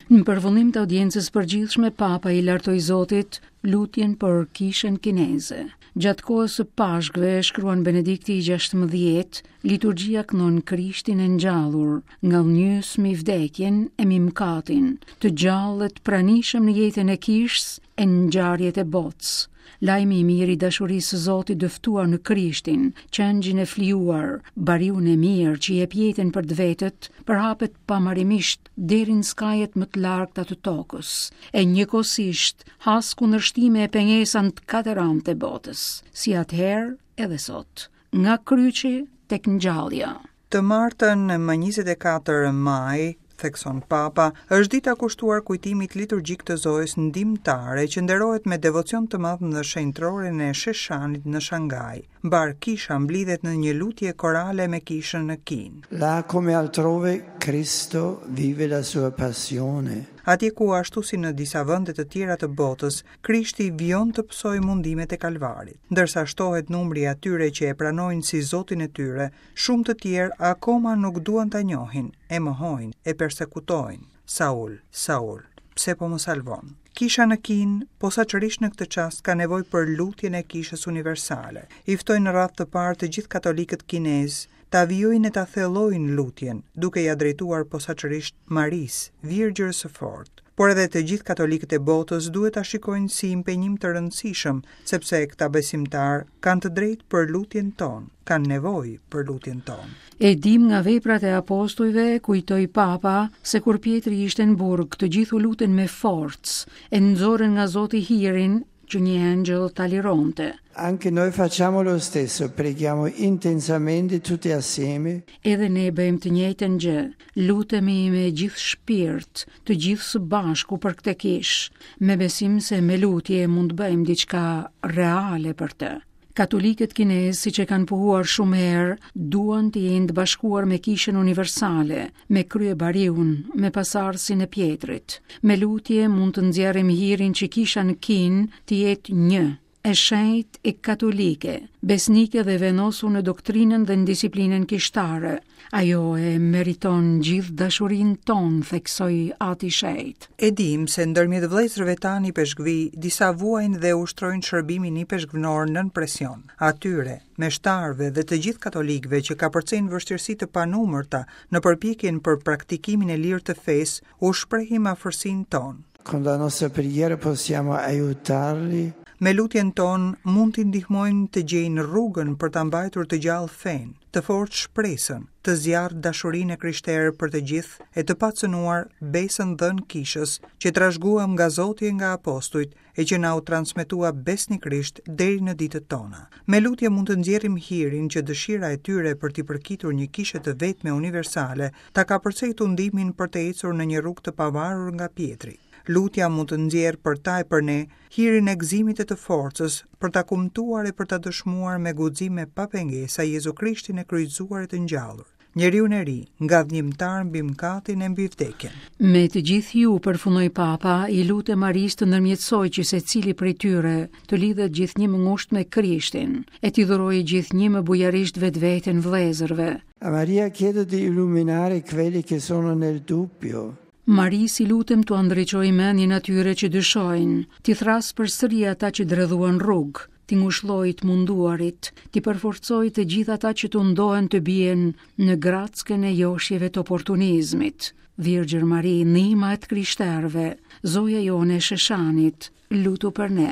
Në përfundim të audiencës së përgjithshme, Papa i lartoi Zotit lutjen për kishën kineze. Gjatë kohës së Pashkëve, shkruan Benedikti i 16, liturgjia këndon Krishtin e ngjallur, ngadhënjyes mbi vdekjen e mbi mëkatin, të gjallë e të pranishëm në jetën e kishës e në ngjarjet e botës. Lajmi i mirë i dashurisë së Zotit dëftuar në Krishtin, qengjin e flijuar, bariun e mirë që jep jetën për të vetët, përhapet pamarimisht deri në skajet më të largëta të tokës, e njëkohësisht has kundërshtime e pengesa në të katër anët e botës, si atëherë edhe sot, nga kryqi tek ngjallja. Të martën, më 24 maj, thekson Papa, është dita kushtuar kujtimit liturgjik të Zojës Ndihmëtare, që nderohet me devocion të madh në shenjtëroren e Sheshanit në Shanghai. Mbarë kisha mblidhet në një lutje korale me kishën në Kinë. Là come altrove Cristo vive la sua passione. Atje ku ashtu si në disa vende të tjera të botës, Krishti vijon të pësojë mundimet e Kalvarit. Ndërsa shtohet numri i atyre që e pranojnë si Zotin e tyre, Shumë të tjerë akoma nuk duan ta njohin, e mohojnë, e persekutojnë. Saul, Saul, pse po më salvon? Kisha në Kinë, posaçërisht në këtë çast, ka nevojë për lutjen e Kishës Universale. I ftoj në radhë të parë të gjithë katolikët kinezë ta vijojnë e ta thellojnë lutjen, duke ia drejtuar posaçërisht Marisë, Virgjërës së Fortë. Por edhe të gjithë katolikët e botës duhet ta shikojnë si impenjim të rëndësishëm, sepse këta besimtarë kanë të drejtë për lutjen tonë, kanë nevojë për lutjen tonë. E dimë nga veprat e apostujve, kujtoi Papa, se kur Pjetri ishte në burg, të gjithë u lutën me forcë, e nxorën nga Zoti hirin që një engjëll ta lironte. Anche noi facciamo lo stesso, preghiamo intensamente tutti assieme. Edhe ne bëjmë të njëjtën gjë, lutemi me gjithë shpirt, të gjithë së bashku për këtë kishë, me besim se me lutje mund të bëjmë diçka reale për të. Katolikët kinezë, siç e kanë pohuar shumë herë, duan të jenë të bashkuar me Kishën Universale, me kryebariun, me pasardhësin e Pjetrit. Me lutje mund të nxjerrim hirin që Kisha në Kinë të jetë një, e shenjtë e katolike, besnike dhe e vendosur në doktrinën dhe në disiplinën kishtare. Ajo e meriton gjithë dashurinë tonë, theksoi Ati i Shenjtë. E dimë se ndërmjet vëllezërve tanë ipeshkvij, disa vuajnë dhe ushtrojnë shërbimin ipeshkvnor nën presion. Atyre, meshtarëve dhe të gjithë katolikëve që kapërcejnë vështirësi të panumërta në përpjekjen për praktikimin e lirë të fesë, u shprehim afërsinë tonë. Con la nostra preghiera possiamo aiutarli. Me lutjen tonë mund t'i ndihmojmë të gjejnë rrugën për ta mbajtur të gjallë fenë, të fortë shpresën, të zjarrtë dashurinë e krishterë për të gjithë e të pacënuar besën dhënë Kishës, që trashëguam nga Zoti e nga apostujt e që na u transmetua besnikërisht deri në ditët tona. Me lutje mund të nxjerrim hirin që dëshira e tyre për t'i përkitur një kishe të vetme universale ta kapërcejë tundimin për të ecur në një rrugë të pavarur nga Pjetri. Lutja mund të nxjerrë për ta e për ne hirin e gëzimit e të forcës për ta kumtuar e për ta dëshmuar me guxim e pa pengesa Jezu Krishtin e kryqëzuar e të ngjallur, njeriun e ri, ngadhnjimtar mbi mëkatin e mbi vdekjen. Me të gjithë ju, përfundoi Papa, i lutem Marisë të ndërmjetësojë që secili prej tyre të lidhet gjithnjë më ngushtë me Krishtin, e t'i dhurojë gjithnjë më bujarisht vetveten vëllezërve. A Maria chiedo di illuminare quelli che sono nel dubbio. Marisë i lutem t'ua ndriçojë mendjen atyre që dyshojnë, t'i thërrasë përsëri ata që dredhuan rrugë, t'i ngushëllojë të munduarit, t'i përforcojë të gjithë ata që tundohen të bien në grackën e joshjeve të oportunizmit. Virgjër Mari, ndihma e të krishterëve, Zoja jonë e Sheshanit, lutu për ne.